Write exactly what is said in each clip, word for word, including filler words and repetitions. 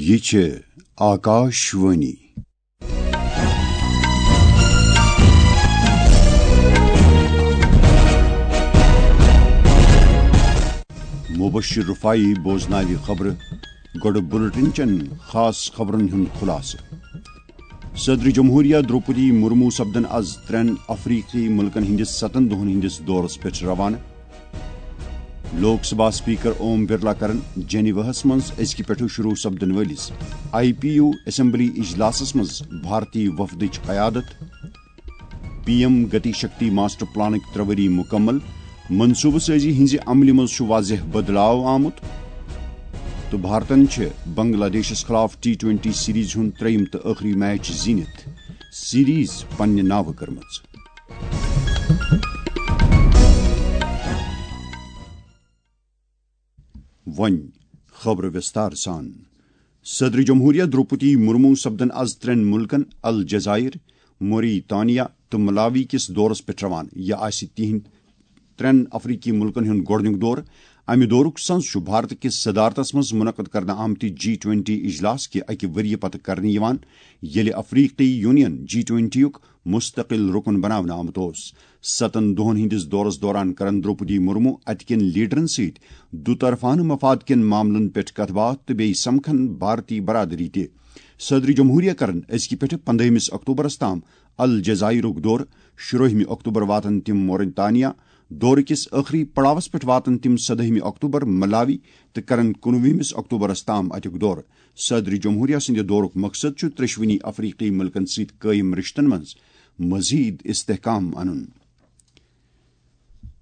یہِ چھِ آکاش وانی۔ مبشر رفاعی بوزناوِ خبرٕ۔ گۄڈٕ بُلٹن چٮ۪ن خاص خبرن ہُنٛد خُلاصہٕ۔ صدر جمہوریہ درٛوپدی مرمو سپدن از ترٛٮ۪ن افریقی مُلکن ہٕنٛدِس ستن دۄہن ہٕنٛدِس دورس پٮ۪ٹھ روانہٕ۔ لوک سبھا اسپیکر اوم برلا کرن جنیواہس منٛز أزکہِ پٮ۪ٹھٕ شروع سپدن وٲلِس آئی پی یو اسمبلی اجلاسس منٛز بھارتی وفدٕچ قیادت۔ P M Gati Shakti master پلانٕکۍ ترٛےٚ ؤری مُکمل، منصوٗبہٕ سٲزی ہٕنٛزِ عملہِ منٛز چھُ واضح بدلاو آمُت۔ تہٕ بھارتن چھِ بنگلہ دیشس خلاف ٹی ٹوینٹی سیریز ہُنٛد ترٛیٚیِم تہٕ ٲخری میچ زیٖنِتھ سیریز پننہِ ناوٕ کٔرمٕژ۔ وۄنۍ خبرٕ وِستار سان۔ صدر جمہوریہ درٛوپدی مرمو سپدن از ترٛٮ۪ن مُلکن الجزائر، موریتانیا تہٕ ملاوی کِس دورس پٮ۪ٹھ روانہٕ۔ یہِ آسہِ تِہنٛد ترٛٮ۪ن افریقی مُلکن ہُنٛد گۄڈٕنیُک دورٕ۔ امہِ دورُک سنز چھُ بھارت کِس صدارتس منٛز منعقد کرنہٕ آمتہِ جی ٹوینٹی اجلاس کہِ اکہِ ؤریہِ پتہٕ کرنہٕ یِوان، ییٚلہِ افریقی یونین جی ٹوینٹی یُک مستقل رُکُن بناونہٕ آمُت اوس۔ ستن دۄہن ہٕنٛدِس دورس دوران کرن درٛوپدی مرمو اتہِ کٮ۪ن لیڈرن سۭتۍ دُطرفانہٕ مفاد کٮ۪ن معاملن پٮ۪ٹھ کتھ باتھ تہٕ بیٚیہِ سمکھن بھارتی برادری تہِ۔ صدر جمہوریہ کرن أزکہِ پٮ۪ٹھٕ پندہمس اکتوبرس تام الجزائرُک دورٕ۔ شُرٲہمہِ اکتوبر واتن تِم موریتانیا۔ دورٕ کِس ٲخری پڑاوس پٮ۪ٹھ واتن تِم سدٲہمہِ اکتوبر ملاوی تہٕ کرن کُنوُہمس اکتوبرس تام اتیُک دورٕ۔ صدر جمہوریہ سٕنٛدِ دورُک مقصد چھُ ترٛیٚشوٕنی افریقی مُلکن سۭتۍ قٲیِم رِشتن منٛز مزید استحکام انُن۔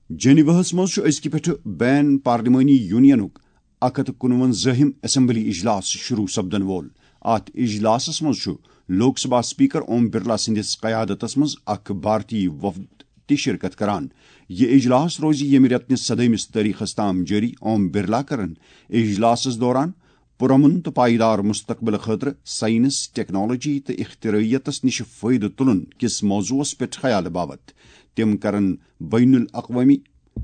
جنیواہس منٛز چھُ أزکہِ پٮ۪ٹھٕ بین پارلیمانی یونینُک اکھ ہتھ تہٕ کُنوَنزٲہِم اسمبلی اجلاس شروع سپدن وول۔ اتھ اجلاسس منٛز چھُ لوک سبھا اسپیکر اوم برلا سٕنٛدِس قیادتس منٛز اکھ بھارتی وفد تہِ شرکت کران۔ یہِ اجلاس روزِ ییٚمہِ رٮ۪تہٕ نِس سدٲہمِس تٲریخس تام جٲری۔ اوم برلا کرن اجلاسس دوران پُرامن تہٕ پائیدار مستقبل خٲطرٕ سائنس، ٹیکنالوجی تہٕ اختراعیتس نِش فٲیدٕ تُلُن کِس موضوعس پٮ۪ٹھ خیال باوت۔ تِم کرن بین الاقوامی،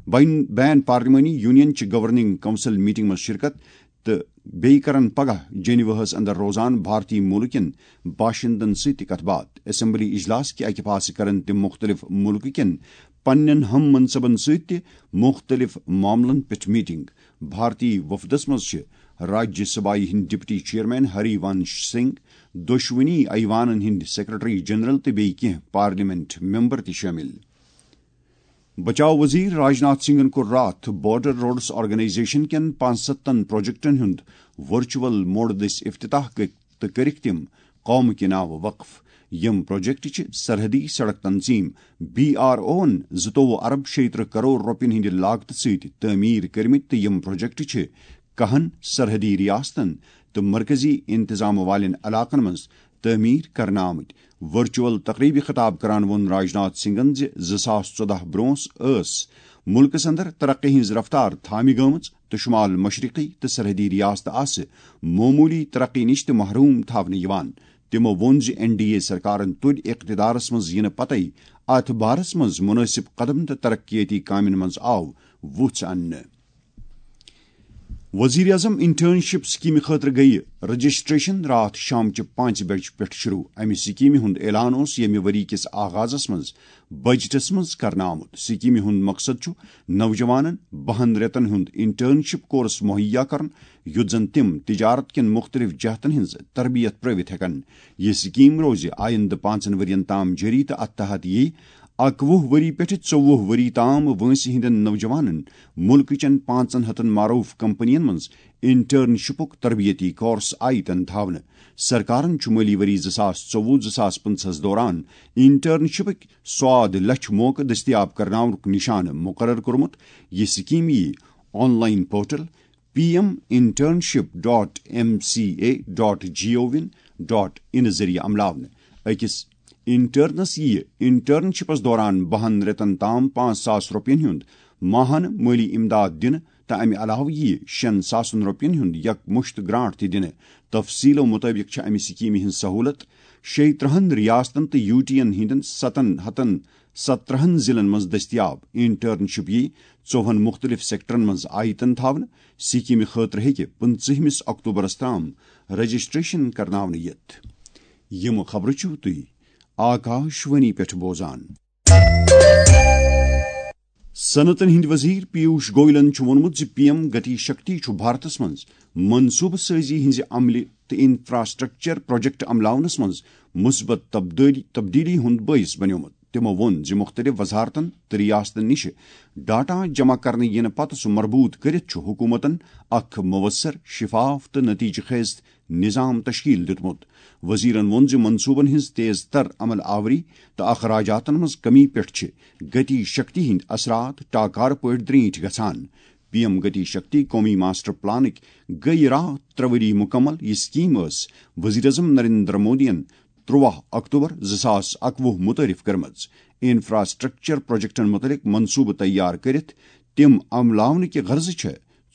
بین، بین پارلیمانی یونین چہِ گورننگ کونسل میٹنگ منٛز شرکت تہٕ بیٚیہِ کرن پگاہ جنیواہس اندر روزان بھارتی مُلکن باشندن سۭتۍ تہِ کتھ باتھ۔ اسمبلی اجلاس کہِ اکہِ پاسہٕ کرن تِم مُختٔلِف مُلکہٕ کٮ۪ن پننٮ۪ن ہم منصبن سۭتۍ تہِ مُختٔلِف معاملن پٮ۪ٹھ میٹنگ۔ بھارتی وفدس منٛز چھِ راجیہ سبھایہ ہٕنٛدۍ ڈپٹی چیئرمین ہری ونش سنگھ، دۄشوٕنی ایوانن ہٕنٛدۍ سیکرٹری جنرل تہٕ بیٚیہِ کینٛہہ پارلیمنٹ ممبر تہِ شٲمِل۔ بچاو وزیر راجناتھ سنگھن کوٚر راتھ بارڈر روڈس آرگنائزیشن کٮ۪ن پانٛژستن پروجیکٹن ہُنٛد ورچوئل موڈ دٔسۍ افتتاح کٔرِتھ تہٕ کٔرِکھ تِم قومہٕ کہِ ناوٕ وقف۔ یِم پروجیکٹ چھِ سرحدی سڑک تنظیم بی آر اوَن زٕتووُہ ارب شیٚیہِ ترٕہ کرور رۄپین ہٕنٛدِ لاگتہٕ سۭتۍ تعمیٖر کٔرمٕتۍ تہٕ یِم پروجیکٹ چھِ کاہن سرحدی ریاستن تہٕ مرکزی انتظام والٮ۪ن علاقن منٛز تعمیٖر کرنہٕ آمٕتۍ۔ ورچوئل تقریبہِ خطاب کران ووٚن راجناتھ سنگھن زِ زٕ ساس ژۄدہ برونٛہہ ٲس مُلکس اندر ترقی ہٕنٛز رفتار تھامہِ گٔمٕژ تہٕ شمال مشرقی تہٕ سرحدی ریاستہٕ آسہٕ معموٗلی ترقی نِش تہِ محروم تھاونہٕ یِوان۔ تِمو ووٚن زِ این ڈی اے سرکارن تُلۍ اقتدارس منٛز یِنہٕ پتے اتھ بارس منٛز مُنٲسِب قدم تہٕ ترقیٲتی کامٮ۪ن منٛز آو وُژھ اننہٕ۔ وزیر اعظم انٹرنشپ سکیمہِ خٲطرٕ گٔیہِ رجسٹریشن راتھ شامچہِ پانٛژِ بجہِ پٮ۪ٹھ شروع۔ امہِ سکیمہِ ہُنٛد اعلان اوس ییٚمہِ ؤری کِس آغازس منٛز بجٹس منٛز کرنہٕ آمُت۔ سکیمہِ ہُنٛد مقصد چھُ نوجوانن بہن رٮ۪تن ہُنٛد انٹرنشپ کورس مہیا کرُن، یُتھ زن تِم تجارت کٮ۪ن مُختٔلِف جہتن ہٕنٛز تربیت پرٲوِتھ ہٮ۪کن۔ یہِ سکیم روزِ آیندٕ پانٛژن ؤرین تام جٲری تہٕ اتھ تحت یِیہِ اکوُہ ؤری پٮ۪ٹھٕ ژوٚوُہ ؤری تام وٲنٛسہِ ہٕنٛدٮ۪ن نوجوانن مُلکہٕ چٮ۪ن پانٛژن ہتن معروٗف کمپنین منٛز انٹرنشپُک تربیتی کورس آیتن تھاونہٕ۔ سرکارن چھُ مٲلی ؤری زٕ ساس ژوٚوُہ زٕ ساس پٕنٛژٕہس دوران انٹرنشپٕکۍ سواد لچھ موقعہٕ دٔستیاب کرناونُک نشانہٕ مقرر کوٚرمُت۔ یہِ سکیم یِیہِ online portal P M internship dot M C A dot G O V dot in ذٔریعہٕ عملاونہٕ۔ أکِس انٹرنس یِیہِ انٹرنشپس دوران بہن رٮ۪تن تام پانٛژھ ساس رۄپین ہُنٛد ماہانہٕ مٲلی امداد دِنہٕ تہٕ امہِ علاوٕ یِیہِ شٮ۪ن ساسن رۄپین ہُنٛد یک مُشت گرانٹ تہِ دِنہٕ۔ تفصیلو مُطٲبِق چھِ امہِ سکیمہِ ہٕنٛز سہولت شیٚیہِ ترٕٛہن ریاستن تہٕ یوٗ ٹی ین ہٕنٛدٮ۪ن ستن ہتن سترٕٛہن ضلعن منٛز دٔستیاب۔ انٹرنشپ یِیہِ ژوٚوُہن مُختٔلِف سیکٹرن منٛز آیتن تھاونہٕ۔ سکیمہِ خٲطرٕ ہیٚکہِ پٕنٛژٕہمِس اکتوبرس تام رجسٹریشن کرناونہٕ یِتھ۔ یِم خبرٕ چھِو تُہۍ آکاشوانی پٮ۪ٹھ بوزان۔ صنعتن ہٕنٛدۍ وزیر پیوش گویلن چھُ ووٚنمُت زِ پی ایم گتی شکتی چھُ بھارتس منٛز منصوبہٕ سٲزی ہٕنٛزِ عملہِ تہٕ انفراسٹرکچر پروجیکٹ عملاونس منٛز مثبت تبدیلی، تبدیلی ہُنٛد بٲعث بنیومُت۔ تِمو ووٚن زِ مُختٔلِف وزارتن تہٕ ریاستن نِش ڈاٹا جمع کرنہٕ یِنہٕ پتہٕ سُہ مربوط کٔرِتھ چھُ حکوٗمتن اکھ مؤثر، شفاف تہٕ نتیجہٕ خیز نظام تشکیل دیُتمُت۔ وزیرن ووٚن زِ منصوبن ہٕنٛز تیز تر عمل آوری تہٕ اخراجاتن منٛز کمی پٮ۪ٹھ چھِ گتی شکتی ہٕنٛدۍ اثرات ٹاکارٕ پٲٹھۍ درینٹھۍ گژھان۔ پی ایم گتی شکتی قومی ماسٹر پلانٕکۍ گٔیہِ راتھ ترٛےٚ ؤری مُکمل۔ یہِ سکیٖم ٲس وزیر اعظم نریندر مودیَن تُرٛواہ اکتوبر زٕ ساس اکوُہ متعارف کٔرمٕژ۔ انفراسٹرکچر پروجیکٹن متعلق منصوبہٕ تیار کٔرِتھ تِم عملاونہٕ کہِ غرضہٕ چھِ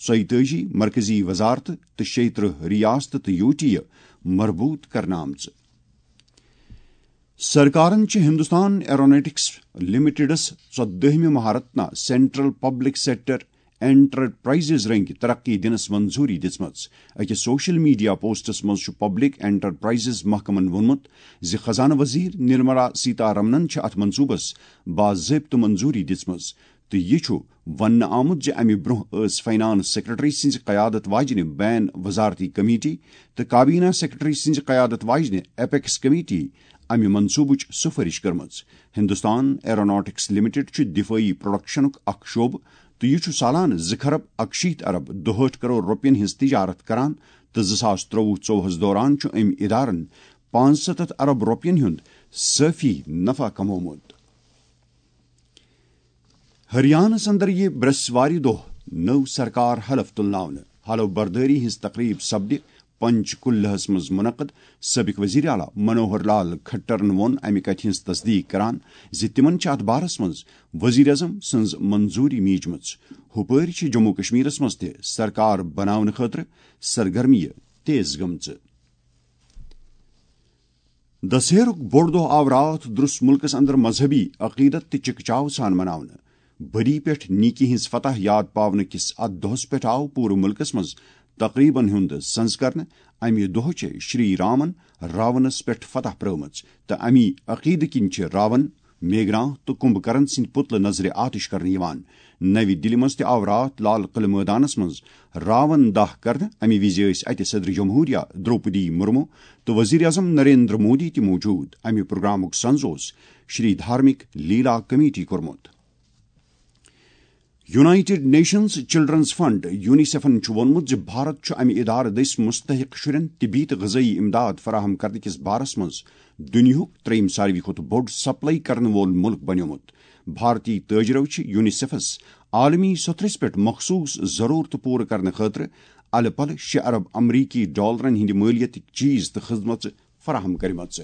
ژۄیتٲجی مرکزی وزارتہٕ تہٕ شیٚیہِ ترٕٛہ ریاستہٕ تہٕ یوٗ ٹی یہِ مربوط کرنہٕ آمژٕ۔ سرکارن چھِ ہندوستان ایروناٹکس لمیٹڈس ژۄدٲہمہِ Maharatna central public sector enterprises رنگۍ ترقی دِنس منظوری دِژمٕژ۔ أکِس سوشل میڈیا پوسٹس منٛز چھُ پبلک انٹرپرائزز محکمن ووٚنمُت زِ خزانہٕ وزیر نرملا سیتارمنن چھِ اتھ منصوبس باضٲبطہٕ منظوری دِژمٕژ۔ تہٕ یہِ چھُ وننہٕ آمُت زِ امہِ برٛونٛہہ ٲس فنانس سیکرٹری سٕنٛزِ قیادت واجنہِ بین وزارتی کمیٹی تہٕ کابینہ سیکرٹری سٕنٛزِ قیادت واجنہِ ایپیکس کمیٹی امہِ منصوبٕچ سفٲرش کٔرمٕژ۔ ہندوستان ایروناٹکس لمیٹڈ چھُ دفٲعی پروڈکشنُک اکھ شعبہٕ تہٕ یہِ چھُ سالانہٕ زٕ کھرب اکشیٖتھ ارب دُہٲٹھ کرور رۄپین ہٕنٛز تجارت کران تہٕ زٕ ساس ترٛوٚوُہ ژوٚوُہس دوران چھُ أمۍ ادارن پانٛژستتھ ارب رۄپین ہُنٛد صافی نفع کمومُت۔ ہریانس اندر یہِ برٛسوارِ دۄہ نٔو سرکار حلف تُلناونہٕ۔ حلف بردٲری ہٕنٛز تقریب سپدِ پنچ کُلہس منٛز منعقد۔ سٲبق وزیر اعلیٰ منوہر لال کھٹرن ووٚن امہِ کتھِ ہٕنٛز تصدیق کران زِ تِمن چھِ اتھ بارس منٛز وزیر اعظم سٕنٛز منظوری میجمٕژ۔ ہُپٲرۍ چھِ جموں کشمیرس منٛز تہِ سرکار بناونہٕ خٲطرٕ سرگرمیہِ تیز گٔمژٕ۔ دسہرُک بوٚڑ دۄہ آو راتھ درُس مُلکس اندر مذہبی عقیدت تہٕ چکچاو سان مناونہٕ۔ بدی پٮ۪ٹھ نیکی ہٕنٛز فتح یاد پاونہٕ کِس اتھ دۄہس پٮ۪ٹھ آو پوٗرٕ مُلکس منٛز تقریبن ہُنٛد سنز کرنہٕ۔ امہِ دۄہ چھِ شری رامن راونس پٮ۪ٹھ فتح پرٲومٕژ تہٕ امی عقیدٕ کِنۍ چھِ راون، میگھنا تہٕ کمبھ کرن سٕنٛدۍ پُتلہٕ نظرِ آتش کرنہٕ یِوان۔ نَوِ دِلہِ منٛز تہِ آو راتھ لال قلعہٕ مٲدانس منٛز راون داہ کرنہٕ۔ امہِ وِزِ ٲسۍ اتہِ صدر جمہوریہ درٛوپدی مُرموٗ تہٕ وزیر اعظم نریندر مودی تہِ موجود۔ امہِ پروگرامُک سنز اوس شری دھارمک لیلا کمیٹی کوٚرمُت۔ یونائیٹڈ نیشنز چلڈرنز فنڈ، یونیسیفن چھُ ووٚنمُت زِ بھارت چھُ امہِ ادارٕ دٔسۍ مستحق شُرٮ۪ن طبی تہٕ غذٲیی امداد فراہم کرنہٕ کِس بارس منٛز دُنیاہُک ترٛیٚیِم ساروی کھۄتہٕ بوٚڑ سپلائی کرن وول مُلک بنیومُت۔ بھارتی تٲجرو چھِ یونیسیفس عالمی سطحس پٮ۪ٹھ مخصوص ضرورتہٕ پوٗرٕ کرنہٕ خٲطرٕ الہٕ پلہٕ شےٚ ارب امریکی ڈالرن ہٕنٛدِ مٲلیتٕکۍ چیز تہٕ خدمژٕ فراہم کٔرمٕژ۔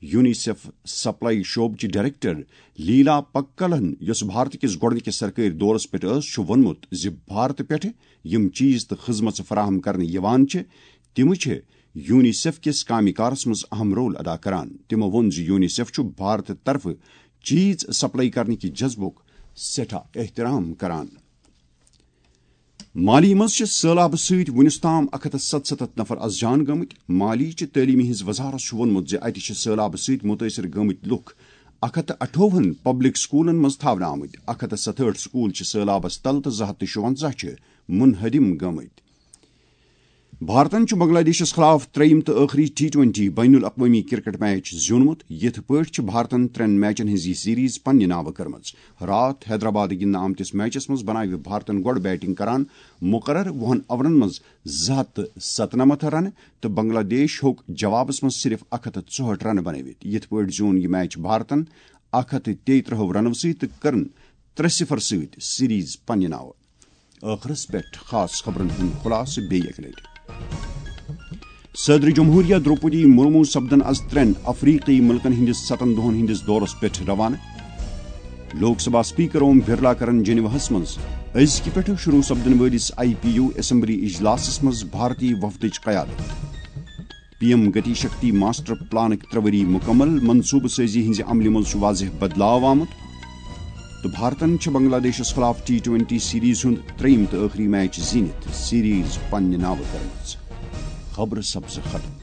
یونیسیف سپلائی شعبہٕ چہِ ڈائریکٹر لیلا پکلن، یۄس بھارت کِس گۄڈٕنِکِس سرکٲرۍ دورس پٮ۪ٹھ ٲس، چھُ ووٚنمُت زِ بھارت پٮ۪ٹھٕ یِم چیز تہٕ خدمژٕ فراہم کرنہٕ یِوان چھِ، تِم چھِ یونیسیف کِس کامہِ کارس منٛز اہم رول ادا کران۔ تِمو ووٚن زِ یونیسیف چھُ بھارت طرفہٕ چیز سپلائی کرنہٕ کہِ جذبُک سٮ۪ٹھاہ احترام کران۔ مالی منٛز چھِ سٔہلابہٕ سۭتۍ وُنیُس تام اکھ ہتھ تہٕ ستستھ نفر از جان گٔمٕتۍ۔ مالی چہِ تعلیمہِ ہٕنٛز وزارت چھُ ووٚنمُت زِ اتہِ چھِ سٔہلابہٕ سۭتۍ مُتٲثر گٔمٕتۍ لُکھ اکھ ہتھ تہٕ اَٹھووُہن پبلک سکولن منٛز تھاونہٕ آمٕتۍ۔ اکھ ہتھ تہٕ ستہٲٹھ سکول چھِ سٔہلابس تل تہٕ زٕ ہتھ تہٕ شُونٛزاہ چھِ منہدم گٔمٕتۍ۔ بھارتن چھُ بنگلہ دیشس خلاف ترٛیٚیِم تہٕ ٲخری ٹی ٹوئنٹی بین الاقوٲمی کرکٹ میچ زیوٗنمُت۔ یِتھ پٲٹھۍ چھِ بھارتن ترٛٮ۪ن میچن ہٕنٛز یہِ سیریز پننہِ ناوٕ کٔرمٕژ۔ راتھ حیدرآباد گِنٛدنہٕ آمتِس میچس منٛز بناوِ بھارتن گۄڈٕ بیٹنگ کران مقرر وُہن اوورن منٛز زٕ ہتھ تہٕ ستنمتھ رنہٕ تہٕ بنگلہ دیش ہیوٚک جوابس منٛز صرف اکھ ہتھ تہٕ ژُہٲٹھ رنہٕ بنٲوِتھ۔ یِتھ پٲٹھۍ زیوٗن یہِ میچ بھارتن اکھ ہتھ تہٕ تیٚیہِ ترٕٛہو رنو سۭتۍ تہٕ کٔرٕن ترٛےٚ صفر سۭتۍ سیریز پننہِ ناوٕ۔ ٲخرس پٮ۪ٹھ خاص خبرن ہُنٛد خلاصہٕ بیٚیہِ اکہِ لٹہِ۔ صدر جمہوریہ درٛوپدی مُرموٗ سپدن از ترٛٮ۪ن افریقی مُلکن ہٕنٛدِس ستن دۄہن ہٕنٛدِس دورس پٮ۪ٹھ روانہٕ۔ لوک سبھا اسپیکر اوم برلا کرن جنیواہس منٛز أزکہِ پٮ۪ٹھٕ شروع سپدن وٲلِس آئی پی یو اسمبلی اجلاسس منٛز بھارتی وفدٕچ قیادت۔ P M Gati Shakti master پلانٕکۍ ترٛےٚ ؤری مُکمل۔ منصوبہٕ سٲزی ہٕنٛزِ عملہِ منٛز چھُ واضح بدلاو آمُت تہٕ بھارتن چھِ بنگلہ دیشس خلاف ٹی ٹوئنٹی سیریز ہُنٛد ترٛیٚیِم تہٕ ٲخری میچ زیٖنِتھ سیریز پننہِ ناوٕ کٔرمٕژ۔ خبرٕ سبزٕ خلق۔